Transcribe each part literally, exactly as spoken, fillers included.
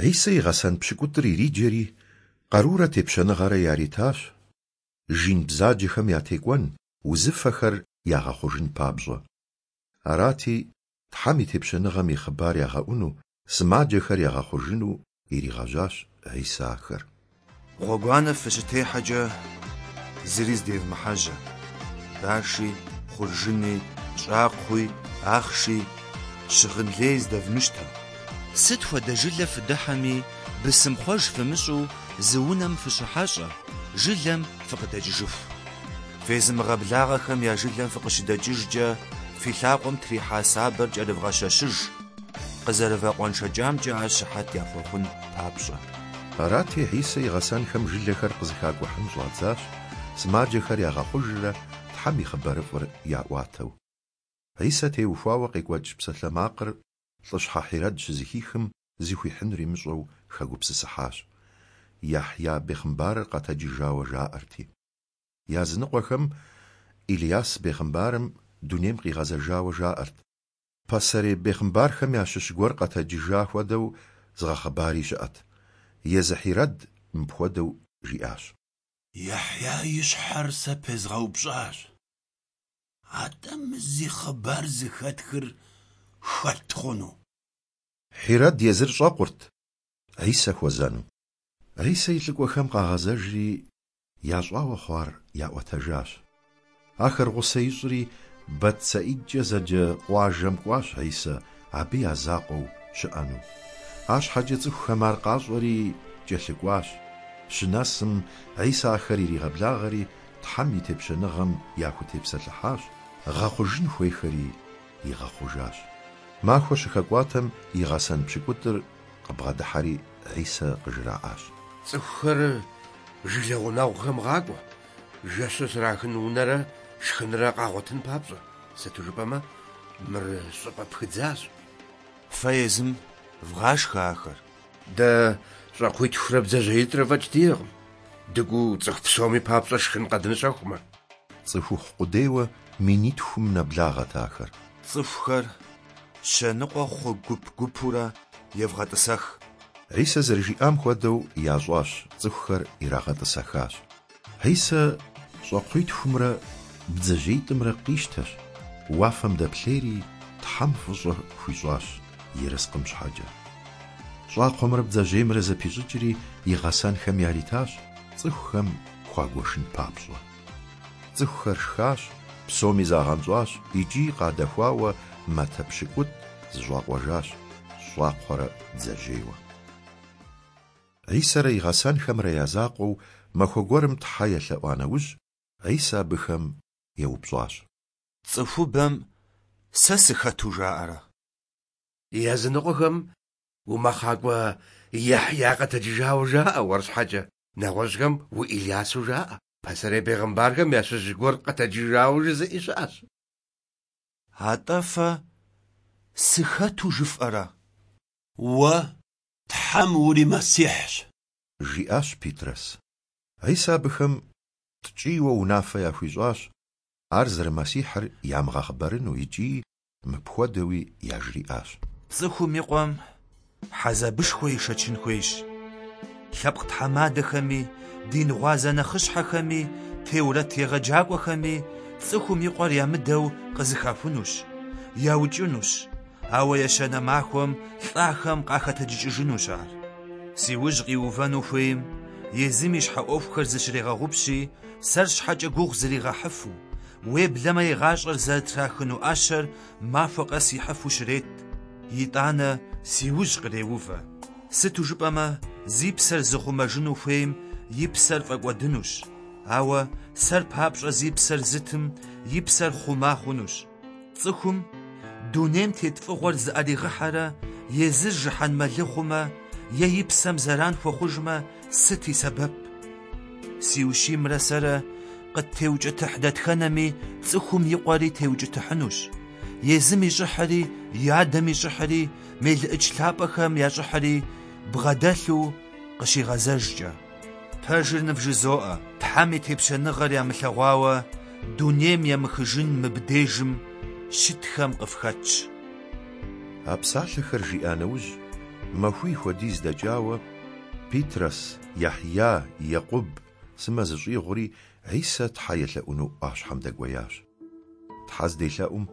Хьисэ и гъэсэн пщыкӏутӏыр ириджэри, къарурэ тепщэныгъэрэ яритащ, жин бзаджэхэм ятекӀуэн, узыфэхэр ягъэхъужын папщӀэ. Арати, Тхьэм и Тепщэныгъэм и хъыбар ягъэӀуну, сымаджэхэр ягъэхъужыну иригъэжьащ Хьисэ ахэр. Гъуэгуанэ фыщытехьэкӀэ зыри зыдевмыхьэжьэ: баши, хъуржыни, щӀакхъуи, ахъши, щыгъын лей здэвмыщтэ. Сыт хуэдэ жылэ фыдыхьэми, бысымхъуэж фымыщӀу зы унэм фыщыхьэщӀэ, жылэм фыкъыдэкӀыжыху. Фезымыгъэблагъэхэм я жылэм фыкъыщыдэкӀыжкӀэ фи лъакъуэм трихьа сабэр кӀэрывгъэщэщыж, къызэрывэкъуэншэкӀамкӀэ ар щыхьэт яхуэхъун папщӀэ. Арати, Хьисэ и гъэсэнхэм жылэхэр къызэхакӀухьын щӀадзащ, сымаджэхэр ягъэхъужрэ Тхьэм и хъыбарыфӀыр яӀуатэу. Хьисэ теухуауэ къекӀуэкӀ псалъэмакъыр лӀыщхьэ Хьирэд щызэхихым зыхуихьынур имыщӀэу хэгупсысыхьащ. Яхья бегъымбарыр къэтэджыжауэ жаӀэрти. Языныкъуэхэм Илияс бегъымбарым дунейм къигъэзэжауэ жаӀэрт. Пасэрей бегъымбархэм ящыщ гуэр къэтэджыжа хуэдэу зыгъэхъыбари щыӀэт. Езы Хьирэд мыпхуэдэу жиӀащ: Яхья и щхьэр сэ пезгъэупщӀащ. АтӀэ мы зи хъыбар зэхэтхыр хэт хъуну? Хьирэд езыр щӀэкъурт Хьисэ хуэзэну. Хьисэ и лӀыкӀуэхэм къагъэзэжри, ящӀауэ хъуар яӀуэтэжащ. Ахэр гъусэ ищӀри, БэтСаидэкӀэ зэджэ къуажэм кӀуащ Хьисэ абы я закъуэу щыӀэну. АрщхьэкӀэ цӀыхухэм ар къащӀэри кӀэлъыкӀуащ. Щынэсым, Хьисэ ахэр иригъэблагъэри, Тхьэм и тепщэныгъэм яхутепсэлъыхьащ, гъэхъужын хуейхэри игъэхъужащ. Махуэ щыхэкӀуатэм и гъэсэн пщыкӀутӀыр къыбгъэдыхьэри Хьисэ къыжраӀащ: ЦӀыхухэр жылэ гъунэгъухэм гъакӀуэ, жэщыр щрахын унэрэ шхынрэ къагъуэтын папщӀэ, сыту жыпӀэмэ мыр щӀыпӀэ пхыдзащ. Фэ езым вгъашхэ ахэр. Дэ щӀакхъуитхурэ бдзэжьеитӀрэ фӀэкӀ диӀэкъым, дыкӀуэу цӀыху псоми папщӀэ шхын къэдмыщэхумэ. ЦӀыхухъу къудейуэ минитхум нэблагъэт ахэр. ЦӀыхухэр щэныкъуэ хъу гуп-гупурэ евгъэтӀысэх. Хьисэ зэрыжиӀам хуэдэу ящӀащ, цӀыхухэр ирагъэтӀысэхащ. Хьисэ щӀакхъуитхумрэ бдзэжьеитӀымрэ къищтэщ, уафэм дэплъейри Тхьэм фӀыщӀэ хуищӀащ ерыскъым щхьэкӀэ. ЩӀакхъуэмрэ бдзэжьеймрэ зэпищӀыкӀри и гъэсэнхэм яритащ, цӀыхухэм хуагуэшын папщӀэ. ЦӀыхухэр шхащ, псоми загъэнщӀащ икӀи къадэхуауэ матэ пщыкӀутӀ зэщӀакъуэжащ, щӀакхъуэрэ бдзэжьейуэ. Хьисэрэ и гъэсэнхэмрэ я закъуэу махуэ гуэрым Тхьэ елъэӀуа нэужь, Хьисэ абыхэм еупщӀащ: ЦӀыхубэм сэ сыхэту жаӀэрэ? Языныкъуэхэм умэхъакӀуэ Яхья къэтэджыжауэ жаӀэ уэр щхьэкӀэ, нэгъуэщӀхэм у-Илясу жаӀэ, пасэрей бегъымбархэм ящыщ гуэр къэтэджыжауэ жызыӀи щыӀэщ. АтӀэ фэ сыхэту жыфӀэрэ? Уэ Тхьэм ури-Мэссихьщ, жиӀащ Питрэс. Хьисэ абыхэм ткӀийуэ унафэ яхуищӀащ ар зэры-Мэссихьыр ямыгъэхъыбарыну икӀи мыпхуэдэуи яжриӀащ: ЦӀыхум и Къуэм хьэзабышхуэ ишэчын хуейщ. Лъэпкъ тхьэмадэхэми, дин гъуазэ нэхъыщхьэхэми, теурэт егъэджакӀуэхэми цӀыхум и Къуэр ямыдэу къызыхахунущ, яукӀынущ, ауэ ещанэ махуэм лӀахэм къахэтэджыкӀыжынущ ар. Си ужь къиувэну хуейм езым и щхьэ Ӏуэхухэр зыщрегъэгъупщи, сэр щхьэкӀэ гугъу зригъэхьыфу, уеблэмэ и гъащӀэр зэрытрахыну Ӏэщэр махуэ къэс ихьыфу щрет, итӀанэ си ужь къреувэ. Сыту жыпӀэмэ, зи псэр зыхъумэжыну хуейм и псэр фӀэкӀуэдынущ, ауэ сэр папщӀэ зи псэр зытым и псэр хъума хъунущ. ЦӀыхум дунейм тет фӀыгъуэр зыӀэригъыхьэрэ езыр жыхьэнмэлы хъумэ е и псэм зэран хуэхъужмэ, сыт и сэбэп? Си ущиймрэ сэрэ къыттеукӀытыхь дэтхэнэми цӀыхум и Къуэри теукӀытыхьынущ, езым и щӀыхьри, и адэм и щӀыхьри, мелыӀыч лъапӀэхэм я щӀыхьри бгъэдэлъу къыщигъэзэжкӀэ. Пэжыр нывжызоӀэ, Тхьэм и тепщэныгъэр ямылъэгъуауэ дунейм емыхыжын мыбдежым щытхэм къыфхэтщ. А псалъэхэр жиӀа нэужь, Махуий хуэдиз дэкӏауэ, Питрэс, Яхья, Екъуб сымэ зыщӏигъури, Хьисэ Тхьэ елъэӏуну ӏуащхьэм дэкӏуеящ. Тхьэ зделъэӏум,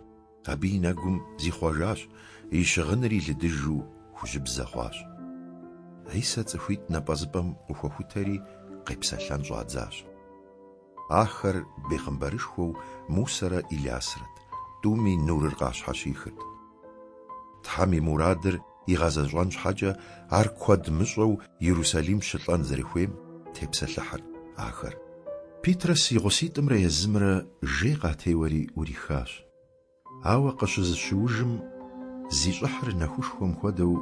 абы и нэгум зихъуэжащ, и щыгъынри лыдыжу хужьыбзэ хъуащ. Хьисэ цӏыхуитӏ напӏэзыпӏэм къыхуэхутэри, къепсэлъэн щӏадзащ. Ахэр бегъымбарышхуэу Мусэрэ Илясрэт, тӏуми нурыр къащхьэщихырт. Тхьэм и мурадыр игъэзэщӏэн щхьэкӏэ ар куэд мыщӏэу Иерусалим щылӏэн зэрыхуейм тепсэлъыхьырт ахэр. Питрэс и гъуситӏымрэ езымрэ жей къатеуэри ӏурихащ. Ауэ къыщызэщыужым, зи щӏыхьыр нэхушхуэм хуэдэу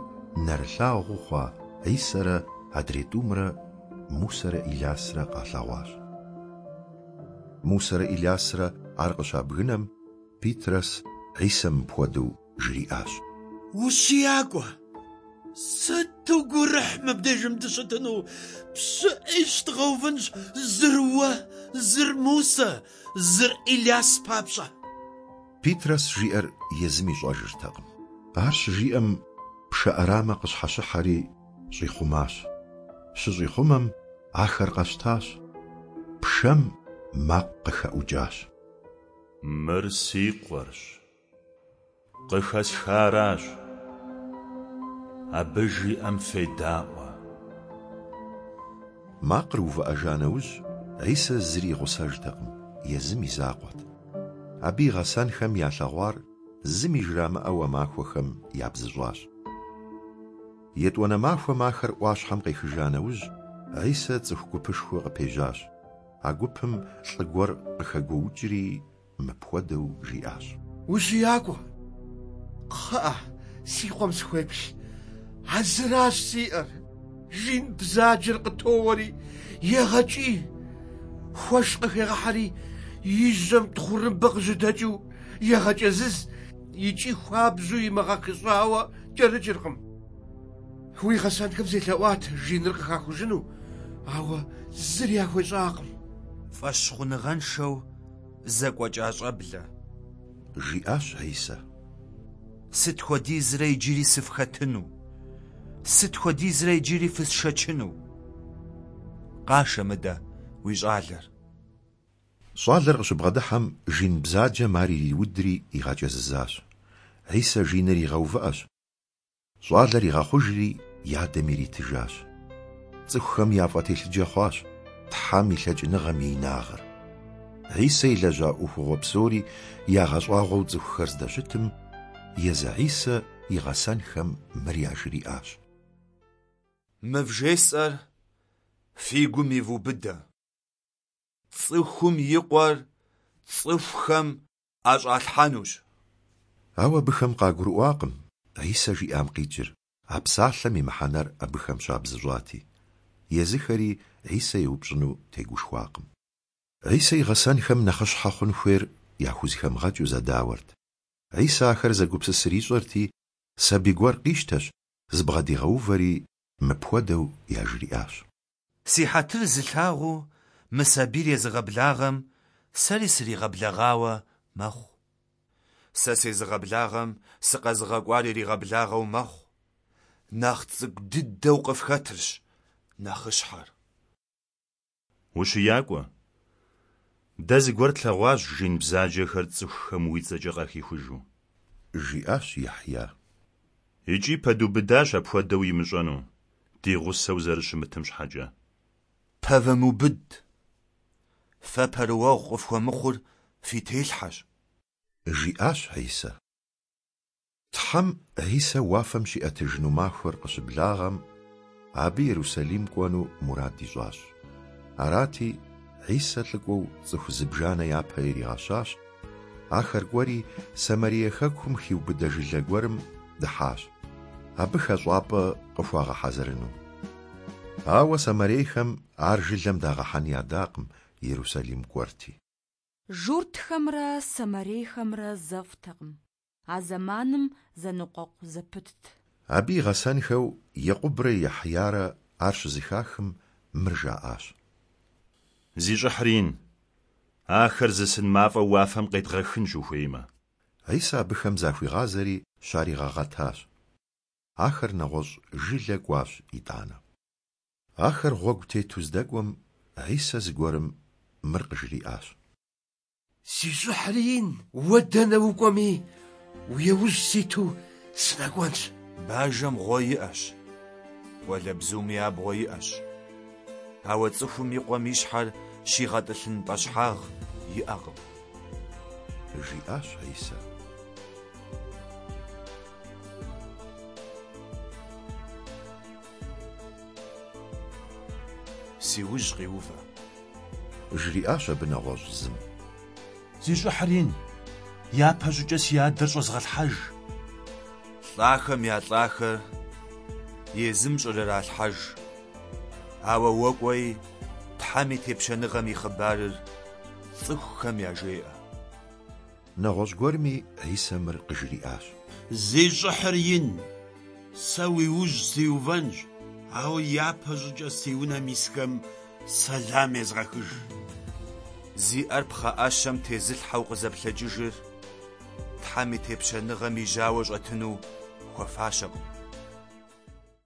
нэрылъагъуу хъуа Хьисэрэ адрей тӏумрэ Мусэрэ Илясрэ къалъэгъуащ. Мусэрэ Илясрэ ар къыщабгынэм, Питрэс Хьисэ мыпхуэдэу жриӏащ: Ущиякӏуэ, сыту гурыхь мыбдежым дыщытыну, пщыӏищ дгъэувынщ, зыр уэ, зыр Мусэ, зыр Иляс папщӏэ. Питрэс жиӏэр езым ищӏэжыртэкъым. Ар щыжиӏэм, пшэ ӏэрамэ къыщхьэщыхьэри щӏихъумащ. Щыщӏихъумэм, ахэр къэщтащ. Пшэм макъ къыхэӏукӏащ: Мыр си къуэрщ, къыхэсхаращ. Абы жиӏэм федаӏуэ. Макъыр увыӏэжа нэужь, Хьисэ зыри и гъусэжтэкъым, езым и закъуэт. Абы и гъэсэнхэм ялъэгъуар зыми жрамыӏэу а махуэхэм ябзыщӏащ. Етӏуанэ махуэм ахэр ӏуащхьэм къехыжа нэужь, Хьисэ цӏыху гупышхуэ къыпежьащ. А гупым лӏы гуэр къыхэгуоукӏри мыпхуэдэу жиӏащ: Ущиякӏуэ, кхъыӏэ, си къуэм схуеплъ, а зыращ сиӏэр. Жин бзаджэр къытоуэри егъэкӏий, хуэш къыхегъэхьэри и жьэм тхъурымбэ къыжьэдэкӏыу егъэкӏэзыз икӏи хуабжьу имыгъэхыщӏауэ кӏэрыкӏыркъым. Уи гъэсэнхэм селъэӏуат жиныр къыхахужыну, ауэ зыри яхуещӏакъым. Фӏэщхъуныгъэншэу зэкӏуэкӏа щӏэблэ, жиӏащ Хьисэ. Сыт хуэдизрэ иджыри сыфхэтыну? Сыт хуэдизрэ иджыри фысшэчыну? Къашэ мыдэ уи щӏалэр. Щӏалэр къыщыбгъэдыхьэм, жин бзаджэм ар ириудри игъэкӏэзызащ. Хьисэ жиныр игъэувыӏэщ. Щӏалэр игъэхъужри и адэм иритыжащ. Цӏыхухэм яфӏэтелъыджэ хъуащ Тхьэм и лъэкӏыныгъэм и инагъыр. Хьисэ илэжьа ӏуэхугъуэ псори ягъэщӏагъуэу цӏыхухэр здэщытым, езы Хьисэ и гъэсэнхэм мыр яжриӏащ: Мы вжесӏэр фи гум ивубыдэ. Цӏыхум и къуэр цӏыхухэм ӏэщӏалъхьэнущ. Ауэ абыхэм къагурыӏуакъым Хьисэ жиӏам къикӏыр, а псалъэм и мыхьэнэр абыхэм щабзыщӏати. Езыхэри Хьисэ еупщӏыну тегушхуакъым. Хьисэ и гъэсэнхэм нэхъыщхьэ хъун хуейр яхузэхэмыгъэкӏыу зэдауэрт. Хьисэ ахэр зэгупсысыр ищӏэрти, сабий гуэр къищтэщ, зыбгъэдигъэувэри мыпхуэдэу яжриӏащ: Си хьэтыр зылъагъуу мы сабийр езыгъэблагъэм сэри сригъэблэгъауэ мэхъу. Сэ сезыгъэблагъэм сыкъэзыгъэкӏуар иригъэблагъэу мэхъу. Нэхъ цӏыкӏу дыдэу къыфхэтырщ нэхъыщхьэр. Ущиякӏуэ, дэ зыгуэр тлъэгъуащ жин бзаджэхэр цӏыхухэм уи цӏэкӏэ къахихужу, жиӏащ Яхья. Икӏи пэдубыдащ апхуэдэу имыщӏэну, ди гъусэу зэрыщымытым щхьэкӏэ. Пэвымубыд, фэ пэрыуэгъу къыфхуэмыхъур фи телъхьэщ, жиӏащ Хьисэ. Тхьэм Хьисэ уафэм щиӏэтыжыну махуэр къыщыблагъэм, абы Иерусалим кӏуэну мурад ищӏащ. Арати, Хьисэ лӏыкӏуэу цӏыху зыбжанэ япэ иригъэщащ. Ахэр кӏуэри Самарие хэкум хиубыдэ жылэ гуэрым дыхьащ, абы хэщӏапӏэ къыхуагъэхьэзырыну. Ауэ самарейхэм ар жылэм дагъэхьэн ядакъым, Иерусалим кӏуэрти. Журтхэмрэ самарейхэмрэ зэфӏтэкъым. А зэманым зэныкъуэкъу зэпытт. Абы и гъэсэнхэу Екъубрэ Яхьярэ ар щызэхахым мыр жаӏащ: Зи щӏыхьыр ин, ахэр зы сын мафӏэ уафэм къедгъэхынщ ухуеймэ. Хьисэ абыхэм захуигъазэри щаригъэгъэтащ. Ахэр нэгъуэщӏ жылэ кӏуащ итӏанэ. Ахэр гъуэгу тету здэкӏуэм, Хьисэ зыгуэрым мыр къыжриӏащ. Зи щӏыхьыр ин, уэ дэнэ укӏуэми, уи яужь ситу сынэкӏуэнщ. Бажэм гъуэ иӏэщ, къуалэбзуми абгъуэ иӏэщ, ауэ цӏыхум и къуэм и щхьэр щигъэтӏылъын пӏэщхьагъ иӏэкъым. Жиӏащ Хьисэ. Си ужь къиувэ. Жриӏащ абы нэгъуэщӏ зым. Зи щӏыхьыр ин, япэщӏыкӏэ си адэр щӏэзгъэлъхьэж. Лӏахэм я лӏахэр езым щӏрыралъхьэж. Ауэ уэ кӏуэи, Тхьэм и тепщэныгъэм и хъыбарыр цӏыхухэм яжеӏэ. Нэгъуэщӏ гуэрми Хьисэ мыр къыжриӏащ. Зи щӏыхьыр ин, сэ уи ужь сиувэнщ, ауэ япэщӏыкӏэ си унэм исхэм сэлам езгъэхыж. Зи ӏэр пхъэӏэщэм тезылъхьэу къызэплъэкӏыжыр Тхьэм и тепщэныгъэм и жьауэ щӏэтыну хуэфащэкъым.